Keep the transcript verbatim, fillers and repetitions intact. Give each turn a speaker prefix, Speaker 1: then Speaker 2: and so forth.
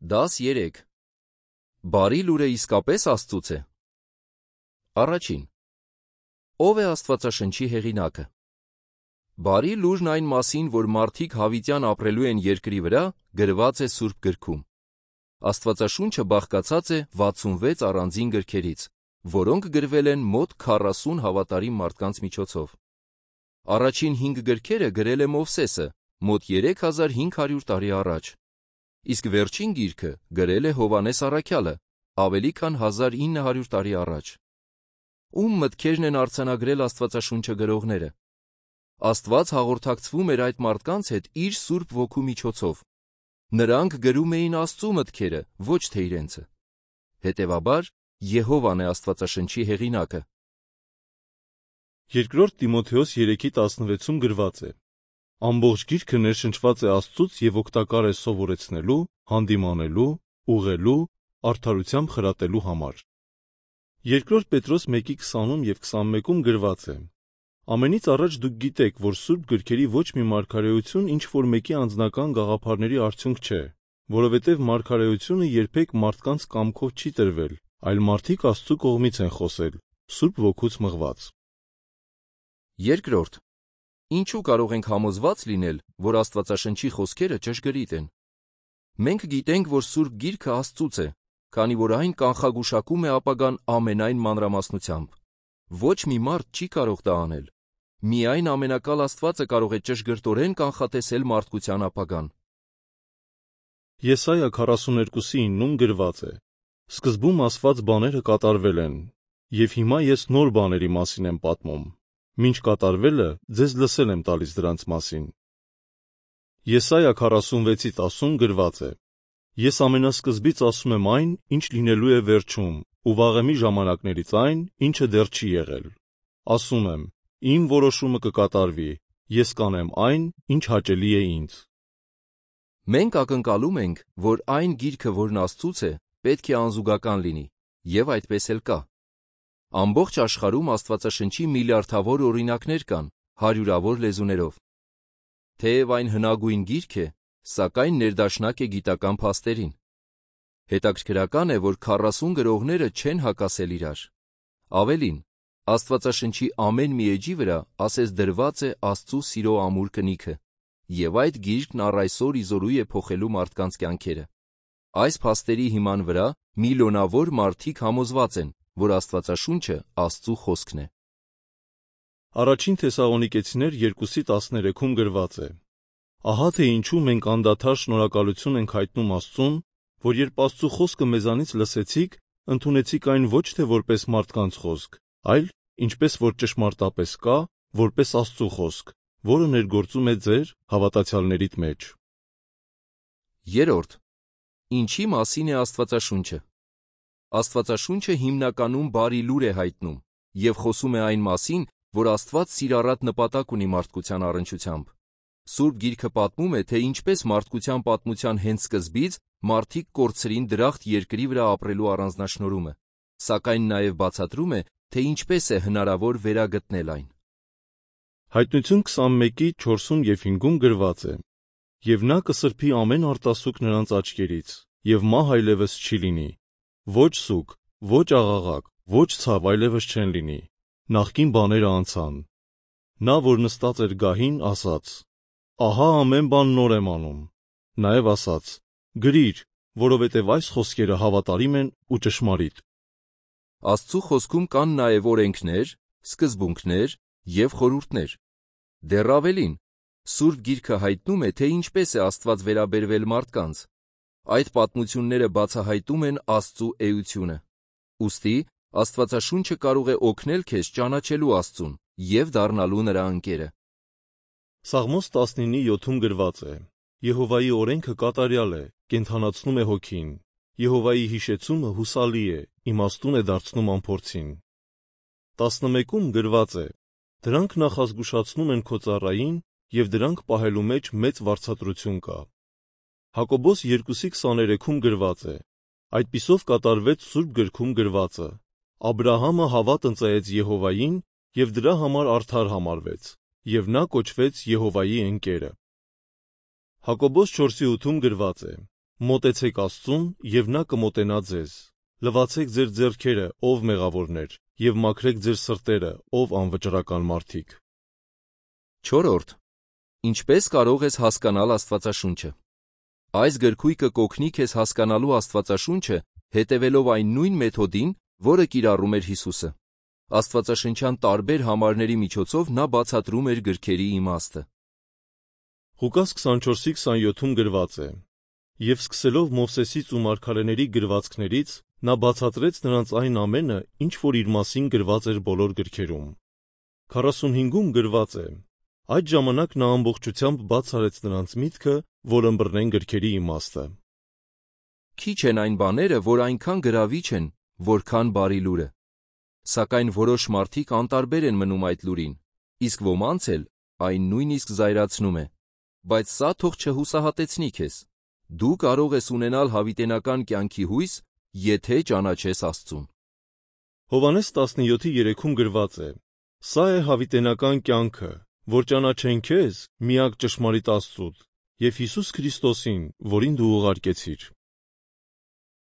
Speaker 1: Դաս երեք. Բարի լուրը իսկապես Աստծուց է։ Առաջին. Ո՞վ է Աստվածաշնչի հեղինակը։ Բարի լուրն այն մասին, որ մարդիկ հավիտյան ապրելու են երկրի վրա, գրված է Սուրբ գրքում։ Աստվածաշունչը բաղկացած է վաթսունվեց առանձին գրքերից, որոնք գրվել են մոտ քառասուն հավատարիմ մարդկանց միջոցով։ Առաջին հինգ գրքերը գրել է Մովսեսը, մոտ երեք հազար հինգ հարյուր տարի առաջ, իսկ վերջին գիրքը գրել է Հովհաննես առաքյալը, ավելի քան հազար ինը հարյուր տարի առաջ։ Ում մտքերն են արձանագրել Աստվածաշունչը գրողները։ Աստված հաղորդակցվում էր այդ մարդկանց հետ իր Սուրբ Ոգու միջոցով։ Նրանք գրում էին Աստծու մտքերը, ոչ թե իրենցը։ Հետևաբար, Եհովան է Աստվածաշնչի հեղինակը։
Speaker 2: Երկրորդ Տիմոթեոս երեքի տասնվեցում գրված է. Ամբողջ գիրքը ներշնչված է Աստծուց և օգտակար է սովորեցնելու, հանդիմանելու, ուղղելու, արդարությամբ խրատելու համար։ Երկրորդ Պետրոս մեկի քսանում և քսանմեկում գրված է. Ամենից առաջ դուք գիտեք, որ Սուրբ գրքերի ոչ մի մարգարեություն ինչ-որ մեկի անձնական գաղափարների արդյունք չէ, որովհետև մարգարեությունը երբեք մարդկանց կամքով չի տրվել, այլ մարդիկ Աստծու կողմից են խոսել, Սուրբ Ոգուց մղված։
Speaker 1: Երկրորդ. Ինչու կարող ենք համոզված լինել, որ Աստվածաշնչի խոսքերը ճշգրիտ են։ Մենք գիտենք, որ Սուրբ Գիրքը Աստծուց է, քանի որ այն կանխագուշակում է ապագան ամենայն մանրամասնությամբ։ Ոչ մի մարդ չի կարող դա անել։ Միայն ամենակալ Աստվածը կարող է ճշգրտորեն կանխատեսել մարդկության ապագան։
Speaker 2: Եսայա քառասուներկուսի իննում գրված է. Սկզբում ասված բաները կատարվել են, և հիմա ես նոր բաների մասին եմ պատմում։ Մինչ կատարվելը ձեզ լսել եմ տալիս դրանց մասին։ Եսայա քառասունվեցի տասում գրված է. Ես ամենասկզբից ասում եմ այն, ինչ լինելու է վերջում, ու վաղեմի ժամանակներից այն, ինչը դեռ չի եղել։ Ասում եմ, իմ որոշումը կկատարվի, ես կանեմ այն, ինչ հաճելի է ինձ։
Speaker 1: Մենք ակնկալում ենք, որ այն գիրքը, որն Աստծուց է, պետք է անզուգական լինի, և այդպես էլ կա։ Ամբողջ աշխարհում Աստվածաշնչի միլիարդավոր օրինակներ կան, հարյուրավոր լեզուներով։ Թեև այն հնագույն գիրք է, սակայն ներդաշնակ է գիտական փաստերին։ Հետաքրքրական է, որ քառասուն գրողները չեն հակասել իրար։ Ավելին, Աստվածաշնչի ամեն մի էջի վրա ասես դրված է Աստծու սիրո ամուր կնիքը, և այդ գիրքն առ այսօր իզորու է փոխելու մարդկանց կյանքերը։ Այս փաստերի հիման վրա միլիոնավոր մարդիկ համոզված են, որ Աստվածաշունչը Աստծու խոսքն է։
Speaker 2: Առաջին Թեսաղոնիկեցիներ երկուսի տասներեքում գրված է. Ահա թե ինչու մենք անդադար շնորհակալություն ենք հայտնում Աստծուն, որ երբ Աստծու խոսքը մեզանից լսեցիք, ընդունեցիք այն ոչ թե որպես մարդկանց խոսք, այլ, ինչպես որ ճշմարտապես կա, որպես Աստծու խոսք, որը ներգործում է ձեր հավատացյալներիդ մեջ։
Speaker 1: Երորդ. Ինչի մասին է Աստվածաշունչը։ Աստվածաշունչը հիմնականում բարի լուր է հայտնում և խոսում է այն մասին, որ Աստված սիրառատ նպատակ ունի մարդկության առնչությամբ։ Սուրբ Գիրքը պատմում է, թե ինչպես մարդկության պատմության հենց սկզբից մարդիկ կորցրին դրախտ երկրի վրա ապրելու առանձնաշնորհումը, սակայն նաև բացատրում է, թե ինչպես է հնարավոր վերագտնել այն։
Speaker 2: Հայտնություն քսանմեկի չորսում և հինգում գրված է. Եվ նա կսրբի ամեն արտասուք նրանց աչքերից, և մահ այլևս չի լինի, ոչ սուգ, ոչ աղաղակ, ոչ ցավ այլևս չեն լինի, նախկին բաները անցան։ Նա, որ նստած էր գահին, ասաց. Ահա ամեն բան նոր եմ անում։ Նաև ասաց. գրիր, որովհետև այս խոսքերը հավատարիմ են ու ճշմարիտ։
Speaker 1: Աստծու խոսքում կան նաև օրենքներ, սկզբունքներ և խորհուրդներ։ Դեռ ավելին, Սուրբ Գիրքը հայտնում է, թե ինչպես է Աստված վերաբերվել մարդկանց։ Այդ պատմությունները բացահայտում են Աստծու էությունը։ Ուստի Աստվածաշունչը կարող է օգնել քեզ ճանաչելու Աստծուն և դառնալու նրա ընկերը։
Speaker 2: Սաղմոս տասնինի յոթում գրված է. Եհովայի օրենքը կատարյալ է, կենդանացնում է հոգին։ Եհովայի հիշեցումը հուսալի է, իմաստուն է դարձնում անփորձին։ տասնմեկում գրված է. Դրանք նախազգուշացնում են քո ծառային, և դրանք պահելու մեջ մեծ վարձատրություն կա։ Հակոբոս երկուսի քսաներեքում գրված է. Այդպիսով կատարվեց Սուրբ գրքում գրվածը. Աբրահամը հավատ ընծայեց Եհովային, և դրա համար արդար համարվեց, և նա կոչվեց Եհովայի ընկերը։ Հակոբոս չորսի ութում գրված է. Մոտեցեք Աստծուն, եւ նա կմոտենա ձեզ։ Լվացեք ձեր ձեռքերը, ով մեղավորներ, եւ մաքրեք ձեր սրտերը, ով անվճռական մարդիկ։
Speaker 1: Չորրորդ. Ինչպես կարող ես հասկանալ Աստվածաշունչը։ Այս գրքույկը կօգնի քեզ հասկանալու Աստվածաշունչը, հետևելով այն նույն մեթոդին, որը կիրառում էր Հիսուսը։ Աստվածաշնչյան տարբեր համարների միջոցով նա բացատրում էր գրքերի իմաստը։
Speaker 2: Ղուկաս քսանչորսի քսանյոթում գրված է. «Եվ սկսելով Մովսեսից ու մարգարեների գրվածքներից, նա բացատրեց նրանց այն ամենը, ինչ որ իր մասին գրված էր բոլոր գրքերում»։ քառասունհինգում գրված է. «Այդ ժամանակ նա ամբողջությամբ բաց արեց նրանց միտքը, որ ըմբռնեն գրքերի իմաստը»։
Speaker 1: Քիչ են այն բաները, որ այնքան գրավիչ են, որքան բարի լուրը։ Սակայն որոշ մարդիկ անտարբեր են մնում այդ լուրին, իսկ ոմանց էլ այն նույնիսկ զայրացնում է։ Բայց սա թող չհուսահատեցնի քեզ։ Դու կարող ես ունենալ հավիտենական կյանքի հույս, եթե ճանաչես Աստծուն։
Speaker 2: Հովհաննես տասնյոթի երեքում գրված է. «Սա է հավիտենական կյանքը, որ ճանաչեն քեզ, միակ ճշմարիտ Աստծուց, և Հիսուս Քրիստոսին, որին դու ուղարկեցիր»։